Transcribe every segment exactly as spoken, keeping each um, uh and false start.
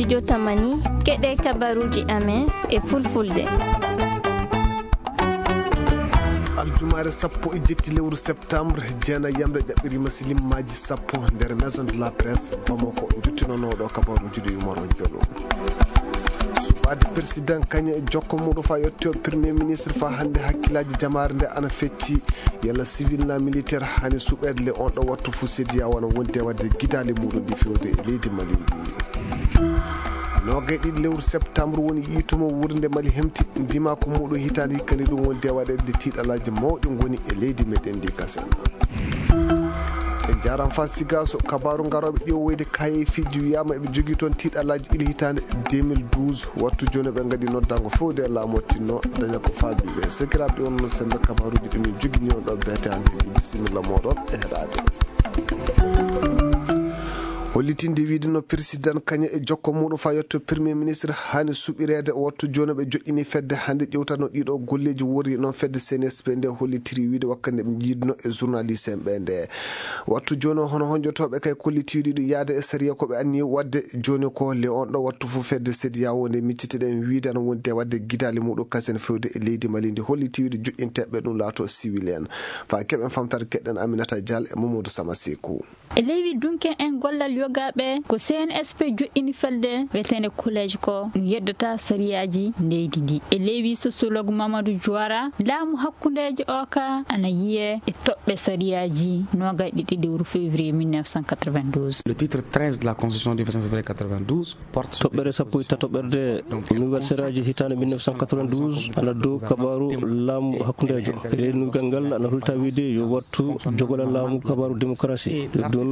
Jotamani, keɗe kabaruuji amen e fulfulde. Aljumaare sappo e jetti lewru septembre, jeenayi yamre ƴaɓɓiriima silimmaaji sappo nder Maison de la Presse, Bamako, njottinonooɗo kabaruuji ɗi Umar Jallo. Suɓaade président kañe e jokko muɗo fa yetto premier ministre fa hannde hakkilaaji jamaare nde ana fecci. Yalla civil na militaire hani suɓeede le on ɗo wattu fu sediya wona wondi e wadde gidaali muɗum ɗi fewde e leydi Mali ndi. Noogay ɗiɗi lewru septembre woni yiitumo wuurnde Mali hemti ndima ko muɗum hitaande hikkandi ɗum wondi e waɗeede nde tiiɗalaaji mawɗi ngoni e leydi meɗen ndi kasen. En jaaram fa sigaso kabaru ngaroɓe ƴeewoyde kayefiiji wiyama eɓe jogii toon tiiɗalaaji ɗiɗi hitaande deux mille douze. Wattu jooni ɓe ngadi noddango fewde e laamu o tinno daña ko faabi ɓe. Sakiraaɓe, on no sembe kabaruuji ɗi min jogini on ɗo beete hannde. Bisimilla mooɗon e heɗaade. Hollitinde wiide no président kañe e jokko muɗum fa yetto premier ministre hani suɓireede. Wattu jooni ɓe joƴƴini fedde hannde ƴewtano ɗiɗo golleeji worri noon fedde C N S P nde hollitiri wiide wakkati nde ɓe jiidno e journaliste en ɓe nde. Wattu jooni o, hono honjotooɓe kay kollitiiɗi ɗum yaade e sariya ko ɓe anni waɗde jooni ko le on ɗo wattu fof fedde sediya wonde miccitiɗen wiide ana wondi e waɗde gidaali muɗum kasen fewde e leydi Mali ndi holliti wiide joƴƴinteeɓe ɗum laato civil en. Fa keɓen famtare keɗɗen Aminata Dial e Mamadou Sama Sekou. E leywi dunken en gollal yogaaɓe ko C N S P joƴƴini felde weteende collège ko ɗum yeddata sariyaaji leydi ndi. E leywi sociologue Mamadou Diouara, laamu hakkundeejo o ka ana yiyee e toɓɓe sariyaaji noogay ɗiɗi lewru février mille neuf cent quatre-vingt-douze. Le titre treize de la constitution du vingt-cinq février quatre-vingt-douze porte sur des Toɓɓere sappo e tataɓerde nouvelle sariyaaji hitaande mille neuf cent quatre-vingt-douze ana dow kabaaru laamu hakkundeejo. E leydi ngal ana hulta wiide yo wattu jogola laamu kabaaru démocratie. Ɗum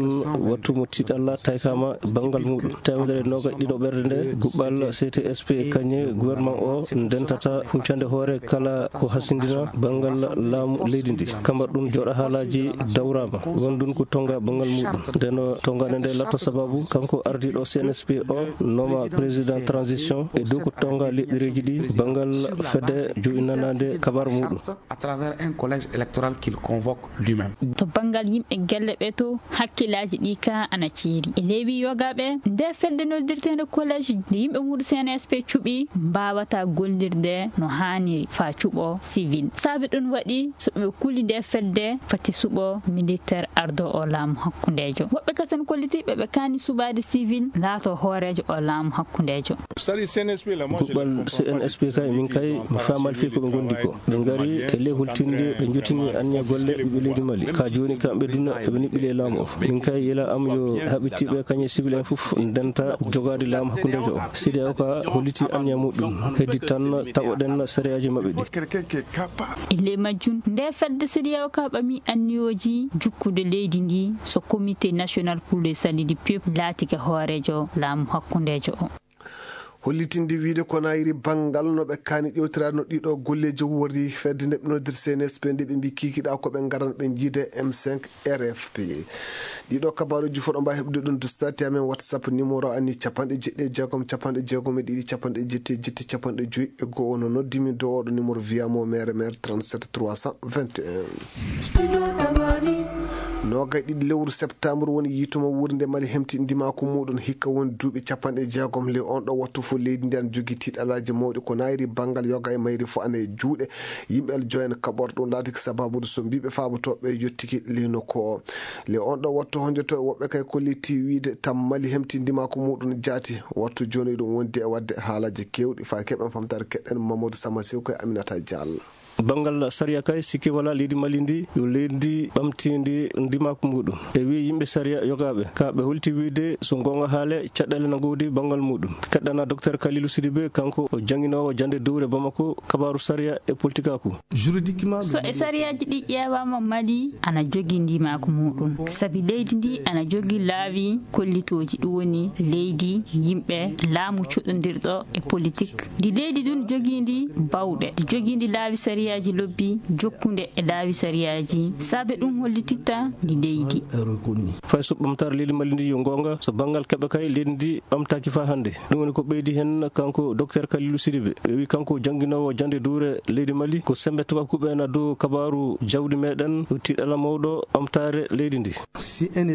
wattu mo tiiɗalla taykama banngal muɗum. Teemedere noogay ɗiɗo ɓerde nde guɓɓal C T S P kañe gouvernement o ndentata huncande hoore kala ko hasindina banngal laamu leydi ndi. Kambar ɗum jooɗa haalaaji dawrama. Wondun ko tonga banngal muɗum. Ndeno tongande nde latto sababu kanko ardiɗo C N S P o noma président transition e dow ko tonga leɗɗereeji ɗi banngal fedde joƴƴinanaande kabar muɗum. À travers un collège électoral qu'il convoque lui-même. To banngal yimɓe gelle ɓe to hakkilaaji ɗi ka ana ceeri. E leywi yogaaɓe nde fedde noddirteende collège nde yimɓe muɗum C N S P cuɓi mbaawata gollirde no haaniri fa cuɓo civil. Saabi ɗum waɗi so ɓe kuli nde fedde fati suɓo militaire ardo o laamu hakkundeejo. Woɓɓe kasen kollitiiɓe ɓe kaani suɓaade civil laato hooreejo o laamu hakkundeejo. Guɓɓal C N S P kay, min kay, mi faamaali fii ko ɓe ngondi ko. Ɓe ngari e ley hultinde, ɓe njotini anniya golle ɓiɓɓe leydi Mali. Ka jooni kam ɓe duna, ɓe niɓɓili e laamu o. Min kay, yela am yo haɓitiiɓe kañe civil en fof ndenta jogaade laamu hakkundeejo o. C D A O ka holliti anniya muɗum. Heddi tan tawoɗen sariyaaji maɓɓe ɗi. E ley majjum, nde fedde C D A O ka ɓami anniyooji jukkude leydi ndi so Comité National pour le Salut du Peuple laatike hooreejo laamu hakkundeejo o. Hollitinde wiide ko nayiri banngal no ɓe kaani ƴewtiraade no ɗiɗo golleeji worri fedde nde ɓe noddir C N S P nde ɓe mbi kikiɗa ko ɓe ngaran ɓe jiide M cinq R F P. Ɗiɗo kabaruuji fof ɗo mbawi heɓde ɗum dustati amen WhatsApp numéro ani capanɗe jeɗɗi e jeegom, capanɗe jeegom e ɗiɗi, capanɗe jetti e jetti, capanɗe joyi e go'o. No noddi min dow oɗo numéro via mo mere mere trente-sept trois cent vingt et un. Noogay ɗiɗi lewru septembre woni yiituma wuurnde Mali hemti ndimaku muɗum hikka woni duuɓi capanɗe jeegom. Le on ɗo wattu fof leydi ndi ana jogii tiiɗalaaji mawɗi ko nayri banngal yoga e mayri fof ana e juuɗe yimɓe Aljoyen kaɓorɗo ɗum laatiki sababude so mbiɓe faabotooɓe yottiki leynoku o. Le on ɗo wattu honjoto e woɓɓe kay kolliti wiide tam Mali hemti ndimaku muɗum jaati wattu jooni ɗum wondi e waɗde haalaaji keewɗi fa keɓen famtaare keɗɗen Mamadou Sama Sew koye Aminata Diallo. Banngal sariya kay, sikke walaa, leydi Mali ndi yo leydi ɓamtiindi ndimaaku muɗum. E wii yimɓe sariya yogaaɓe, ka ɓe holti wiide so goonga haale, caɗeele na ngoodi banngal muɗum. Keɗɗana Docteur Kalilou Sidibé, kanko o jannginoowo jannde dowre Bamako, kabaaru sariya e politikaaku. So e sariyaaji ɗi ƴeewaama, Mali ana jogii ndimaaku muɗum. Sabi leydi ndi ana jogii laawi kollitooji, ɗum woni leydi, yimɓe, laamu cuɗondirɗo e politik. Ndi leydi ndun jogiindi bawɗe, ndi jogiindi laawi sariya. Aji lobbi jokkunde e laawi sariyaaji, saabe ɗum hollititta ndi leydi. Fay so ɓamtaare leydi Mali ndi yo goonga, so banngal keɓe kay leydi ndi ɓamtaaki faa hannde. Ɗum woni ko ɓeydi heen kanko Docteur Kalilu Sidibe. Wi kanko jannginoowo jannde duure leydi Mali, ko semmbe tubakuɓe na dow kabaaru jawdi meɗen, ko tiiɗalla mawɗo ɓamtaare leydi ndi.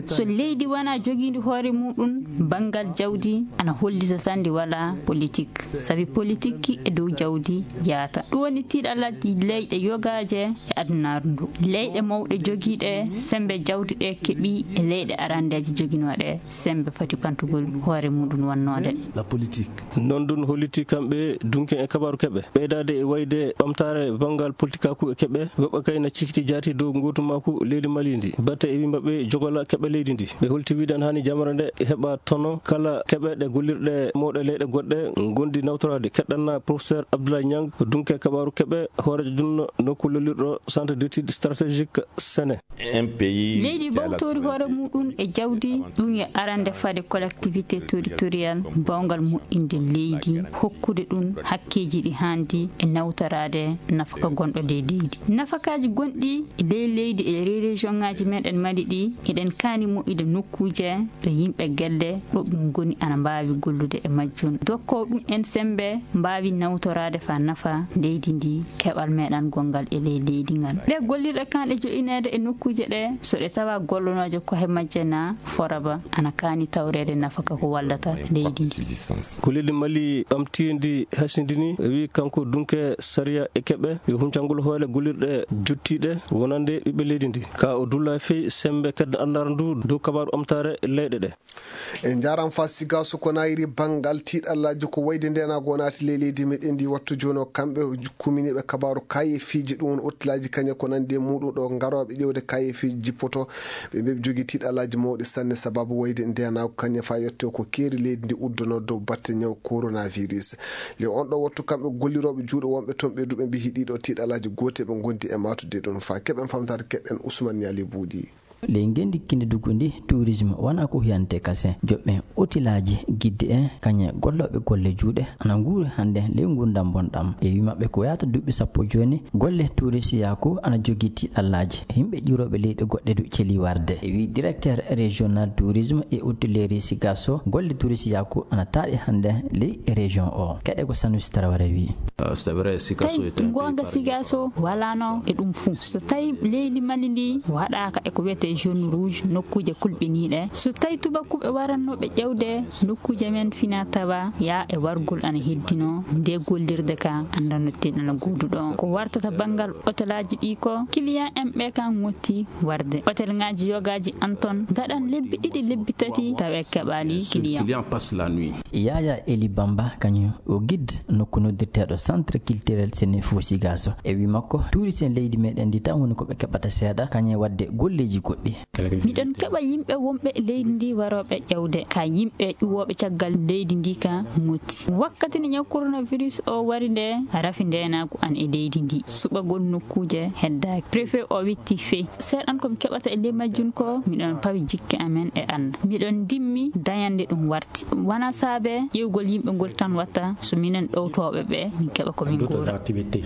So leydi wona jogiindi hoore muɗum, banngal jawdi ana hollita tan ndi wala politik. Sabi politik e dow jawdi yaata. Ɗum woni tiiɗalla leyɗe yogaaje e adunaaru ndu. Leyɗe mawɗe jogiiɗe semmbe jawdi ɗe keɓi e leyɗe arandeeje joginooɗe semmbe foti ɓamtugol hoore muɗum wonnoode. La politique. Noon ɗum holliti kamɓe dunke e kabaaru keɓe. Ɓeydaade e wayde ɓamtaare banngal politikaaku e keɓe, woɓɓe kay na cikiti jaati dow ngootumaaku leydi Mali ndi. Batte e wimɓe ɓe jogola keɓe leydi ndi. Ɓe holti wiide ana haani jamre nde heɓa tono kala keɓe ɗe gollirɗe mawɗe leyɗe goɗɗe ngondi nawtoraade. Keɗɗanna Professeur Abdoulaye Niang, dunke kabaaru keɓe, hooreejo ɗum nokku lollirɗo Centre d'études stratégiques Sene. Leydi bawtori hoore muɗum e jawdi, ɗum e arande fade collectivité territorial mbaawngal moƴƴinde leydi, hokkude ɗum hakkeeji ɗi haandi e nawtoraade nafaka gonɗo ley leydi. Nafakaaji gonɗi e ley leydi e ley région ŋaaji meɗen Mali ɗi, eɗen kaani moƴƴude nokkuuje ɗo yimɓe gelle ɗo ɗum ngoni ana mbaawi gollude e majjum. Dokkoo ɗum en semmbe mbaawi nawtoraade faa nafa leydi ndi, keɓal meɗen gonngal e ley leydi ngal. Ɗe gollirɗe kaanɗe joƴineede e nokkuuje ɗe, so ɗe tawa gollonooje kohe majje na foraba, ana kaani tawreede nafaka ko wallata leydi ndi. Ko leydi Mali ɓamtiindi hasindini, wi kanko dunke sariya e keɓe, yo huncangol hoore gollirɗe jottiiɗe wonande ɓiɓɓe leydi ndi. Ka o dulla fey semmbe kedde anndara ndu dow kabaaru ɓamtaare leyɗe ɗe. En njaaraama faa Sigaso ko nayri banngal tiiɗallaaji ko wayde ndeenaagu o naati ley leydi meɗen ndi. Wattu jooni o kamɓe kuminiiɓe kabaaru kayefiiji, ɗum woni otilaaji kañe ko nanndi e muɗum ɗo ngarooɓe ƴeewde kayefiiji jippoto. Ɓe mbeɓe jogii tiiɗallaaji mawɗi sanne sababu wayde ndeenaagu kañe faa yotte ko keeri leydi ndi uddono dow batte ñaw coronavirus. Ley on ɗo wattu kamɓe gollirooɓe juuɗe wonɓe toon ɓe duɓe mbiyi ɗiɗo tiiɗallaaji goote ɓe ngondi e maatude ɗum faa keɓen famtaade keɓen Ousmane Niali Buuɗi. Ley ngenndi kinndiduggu ndi, tourisme wonaa ko huyante kase. Joɓɓe otilaaji gidde e kañe gollooɓe golle juuɗe ana nguuri hannde ley nguurndam bonɗam. E wii maɓɓe ko yaata duuɓi sappo jooni, golle tourisiyaaku ana jogii tiiɗallaaji. Yimɓe ƴiwrooɓe leyɗe goɗɗe du celii warde. E wii directeur régional tourisme et hôtellerie Sigasso, golle tourisiyaaku ana taaɗi hannde ley région o. Keɗe ko Sanusi Tarawara wii. Tawi goonga Sigaso walaano e ɗum fuu. So tawi leydi Mali ndi waɗaaka e ko wiyetee zone rouge, nokkuuje kulɓiniiɗe, so tawi tubakuɓe warannooɓe ƴewde nokkuuje men fina tawa yaa e wargol ana heddino, nde gollirde ka anndanno ten ana gooduɗo. Ko wartata banngal otelaaji ɗi ko client en ɓe ka ngotti warde. Otel ŋaaji yogaaji an ton ngaɗan lebbi ɗiɗi, lebbi tati tawa e keɓaali client. Yaya Eli Bamba kañum o guide nokku noddirteeɗo Centre Culturel Sénéfou Sigasso. E wii makko, tourisme leydi meɗen ndi tan woni ko ɓe keɓata seeɗa, kañum e waɗde golleeji goɗɗi. Miɗon keɓa yimɓe wonɓe leydi ndi warooɓe ƴewde, ka yimɓe ƴuwooɓe caggal leydi ndi ka ngotti. Wakkati nde ñaw coronavirus o wari nde, rafi ndeenaagu an e leydi ndi. Suɓagol nokkuuje heddaaki. Préfet o witti fey. Seeɗan ko mi keɓata e ley majjum ko, miɗon pawi jikke amen e an. Miɗon ndimmi dañande ɗum warti. Wonaa saabe ƴeewgol yimɓe ngol tan watta so minen ɗowtooɓe ɓe min keɓa ko min nguura.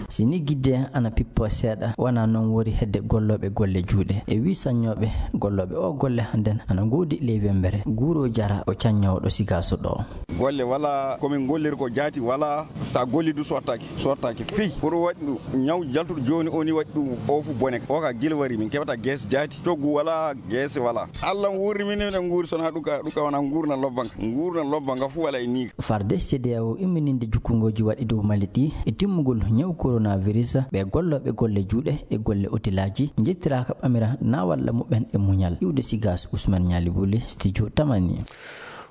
Si ni gidde ana pippo seeɗa, wonaa noon wori hedde gollooɓe golle juuɗe. E wii saññooɓe gollooɓe o golle hannden ana ngoodi ley wembere. Guuro Jara o caññoowo ɗo Sigaso ɗo. Golle wala ko min golliri ko jaati wala, sa golli du sottaaki, sottaaki fii. Pour waɗi ɗum ñaw jaltuɗo jooni o ni waɗi ɗum o fu bone. O ka gila wari min keɓata geese jaati, coggu wala, geese wala. Allah wuurni min, min nguuri sona ɗum ka, ɗum ka wona nguurna lobba nga. Nguurna lobba nga fu wala e ni. Farde C D A O immininde jukkungooji waɗi dow Mali ɗi e timmugol ñaw coronavirus, ɓe gollooɓe golle juuɗe e golle otilaaji njettiraaka ɓamira na walla muɓɓen e muñal. Iwde Sigaso, Ousmane Niali Bouli, studio Tamani.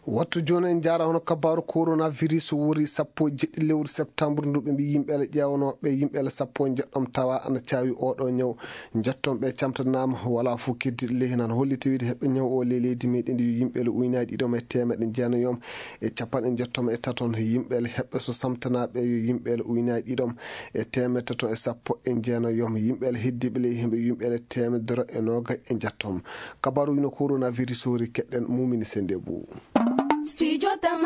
Wattu jooni en njaara hono kabaaru coronavirus wori sappo e jeɗɗi lewru septembre ndu ɓe mbi yimɓe ele ƴeewanooɓe yimɓe ele sappo e njeɗɗom tawa ana caawi oɗo ñaw. Njettom ɓe camtanaama wala fof keddiɗo ley heen ana holliti wiide heɓɓe ñaw o ley leydi meɗen ndi yo yimɓe ele uynaaji ɗiɗom e teemeɗe jeenayom e capanɗe njettom e taton. Yimɓe ele heɓɓe so samtanaaɓe yo yimɓe ele uynaaji ɗiɗom e teemeɗe tato e sappo e jeenayom. Yimɓe ele heddiiɓe ley hemɓe yimɓe ele teemedere e noogay e njettom. Kabaaru wino coronavirus hori keɗɗen mumini sende buu. Studio Tam-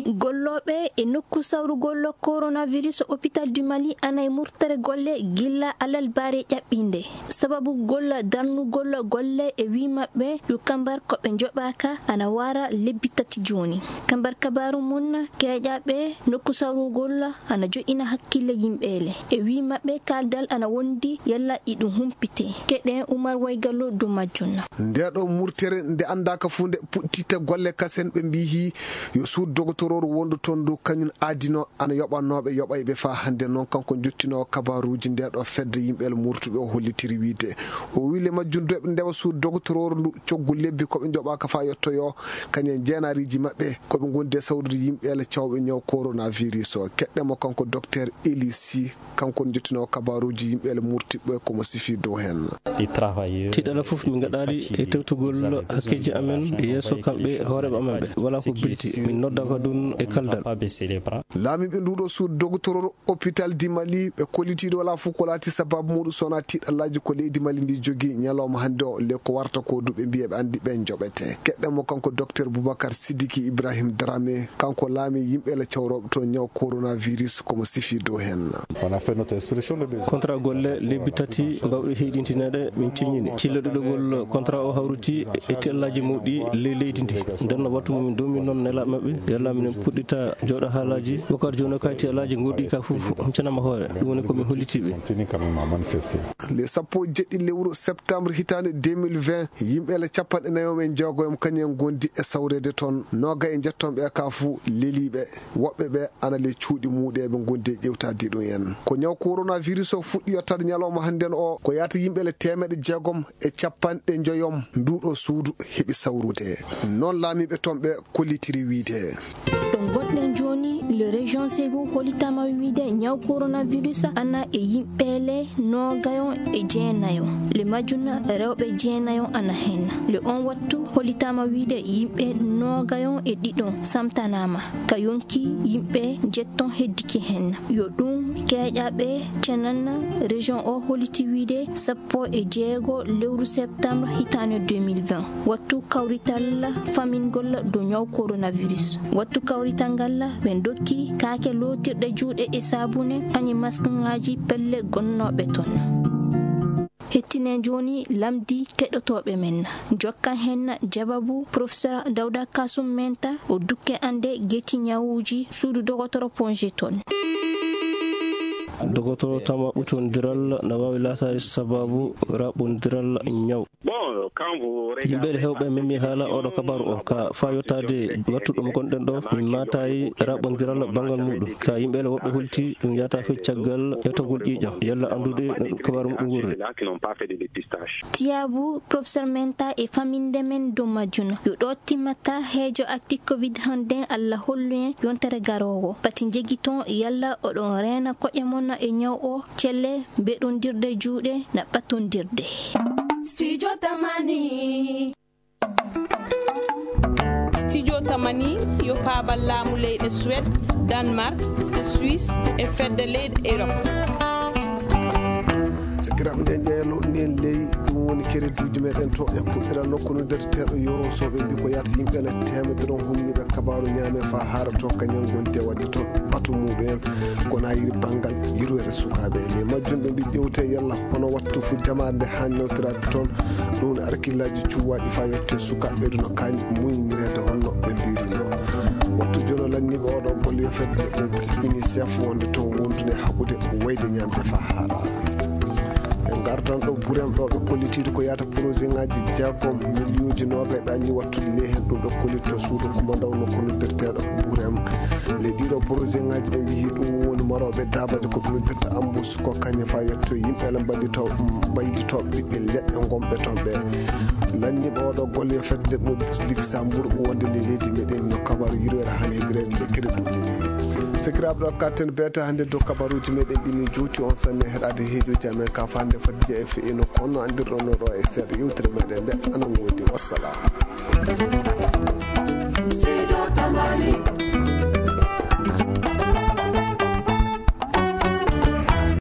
Gollooɓe e nokku sawrugol coronavirus hôpital du Mali ana e murtere golle gilla alarba ɓaare ƴaɓɓiinde. Sababu golla darnugol golle e wii maɓɓe yo kambar ko ɓe njoɓaaka ana wara lebbi tati jooni. Kambar kabaaru mum keeƴaaɓe nokku sawrugol ana joɗɗina hakkille yimɓeele. E wii maɓɓe kaaldal ana wondi yalla iɗum humpite. Keɗen Umar Waygallo dow majjum. Nde ɗo murtere nde anndaaka fuu nde puɗtita golle kasen ɓe mbiyi yo suudu dogotorooru wondu toon ndu kañum aadino ana yoɓanooɓe yoɓayɓe faa hannde. Noon kanko jottinoowo kabaaruuji nde ɗo fedde yimɓe el murtuɓe o hollitiri wiide o wii le majjum doɓe ndewa suudu dogotorooru ndu coggu lebbi ko ɓe njoɓaaka faa yottoyoo kañum jeenaariiji maɓɓe ko ɓe ngondi e sawrude yimɓe el cawɓe ñaw coronavirus o. Keɗɗe mo kanko docteur Elisi. Kanko ne jottinoo kabaaruuji yimɓe ele murtiɓɓe ko mo sifi dow heen. Tiiɗalla fof min ngaɗaali e tewtugol hakkeeji amen yeeso kamɓe hooreeɓe amen ɓe. Walaa ko bilti. Min noddaaka ɗum e kaldal. Laamiiɓe nduuɗo suudu dogotororu hôpital di Mali ɓe kollitiiɗo walaa fof ko laati sababu muɗum so wonaa tiiɗallaaji ko leydi Mali ndi jogii ñalawma hannde o le ko warta ko du ɓe mbiya ɓe anndi ɓe njoɓete. Keɗɗe mo kanko docteur Boubacar Sidiki Ibrahim Dramé. Kanko laami yimɓe la cawrooɓe to ñaw coronavirus ko mo sifi dow heen. Contrat golle lebbi tati mbawɗe heyɗintineede min ciññini. Cilla ɗiɗogol contrat o hawriti e tiiɗallaaji mawɗi ley leydi ndi. Nden no wattu mo min domi noon nelaaɓe maɓɓe. Yalla minen puɗɗita jooɗo haalaaji. Bokar jooni o kay tiiɗallaaji ngoɗɗi ka fof cenama hoore. Ɗum woni ko min hollitiiɓe. Le sappo e jeɗɗi lewru septembre hitaande deux mille vingt, yimɓe le capanɗe nayo e jeegoyom kañum en ngondi e sawreede toon. Nooga e njetton ɓe ka fuu leliiɓe. Woɓɓe ɓe ana le cuuɗi muuɗe ɓe ngondi e ƴewtaade ɗum en. Ko ñaw coronavirus o fuɗɗi yottaade ñalawma hannden o, ko yaata yimɓe le teemeɗe jeegom e capanɗe njoyom nduuɗo suudu heɓi sawrude. Noon laamiiɓe toon ɓe kollitiri wiide. Ɗo ngonɗen jooni, le région Ségou hollitaama wiide ñaw coronavirus ana e yimɓe le noogayo e jeenayo. Le majjum rewɓe jeenayo ana hen. Le on wattu hollitaama wiide yimɓe noogayo e ɗiɗo samtanaama. Ka yonki yimɓe jetton heddike hen. Yo ɗum keeƴaaɓe cenan région o holliti wiide sappo e jeego lewru septembre hitaande deux mille vingt. Wattu kawrital famingol dow ñaw coronavirus. Wattu kawrital ngal ɓe dokki kaake lootirɗe juuɗe e saabune, kañum maskŋaaji pelle gonnooɓe toon. Hettinen jooni lamndi keɗotooɓe men. Jokkan hen jawabu Professeur Dawda Kasum Menta, o dukke annde geti ñawuuji suudu dogotoro Ponje toon. Dogotoro tama ɓutondiral na waawi laataade sababu raɓɓondiral ñaw. Yimɓe hewɓe memi haala oɗo kabaru o ka faa yottaade wattu ɗum gonɗen ɗo, min maatayi raɓɓondiral banngal muɗum. Ka yimɓe woɓɓe holti ɗum yaata fecci caggal ƴeewtagol ƴiiƴam, yalla anndude no ɗum kabaru muɗum wurri. Tiyaabu, Professeur Menta e faminde men dow majjum. Yo ɗo timmata heejo acti covid hannden, Allah hollu en yontere garoowo. Pati njegiton yalla oɗon reena koƴe mon e ñaw o, celle, mbeɗondirde juuɗe na ɓattondirde. Studio Tamani. Studio Tamani yo paabal laamu leyɗe Suède, Danemark, Suisse e fedde leyɗe Europe. Sakiraaɓe, nden ƴeeloɗen ley ɗum woni keretuuji meɗen to en puɗɗira nokku no ndeteteeɗo yoro soɓe mbi ko yaata yimɓe le teemedere on humniɓe kabaaru ñaame faa haara to kañal ngonti e waɗde toon ɓatu muɗum en. Kono a yiri banngal yirwere sukaaɓe e ley majjum ɓe mbi ƴewte yalla hono wattu fu jamaare nde haani newtoraade toon. Ɗum woni arkillaaji cuwaaɗi faa yotte sukaaɓe ɗum no kaani muynirede honno ɓe mbirino. Wattu jono lanniiɓe oɗo golle yo fedde UNICEF wonde toon wondude hakkude wayde ñaamde faa haara. En ngartan ɗo burem ɗo ɓe kollitiiɗo ko yaata projet ŋaaji jeegom miliyooji noogay ɓe anni wattude ley heen ɗum ɓe kollitto suudu kumandaw nokku noddirteeɗo burem. Ley ɗiɗo projet ŋaaji ɓe mbiyi ɗum woni marooɓe daabaji ko ɓe mbitta embauche ko kañum faa yetto yimɓe ele mbaɗito mbayditooɓe ɓiɓɓe leɗɗe ngonɓe toon ɓe. Lanniiɓe oɗo golle yo fedde no Luxembourg wonde ley leydi meɗen no kabaru yirwere haani heɓireede e keretuuji ɗi. Sakiraaɓe ɗo katten beete hannde dow kabaruuji meɗen ɗi min juuti on sanne heɗaade heejuuji amen ka fande fadde e fe'ino kono anndirɗon no ɗo e seeɗa yewtere meɗen nde ana woodi. Wassalam.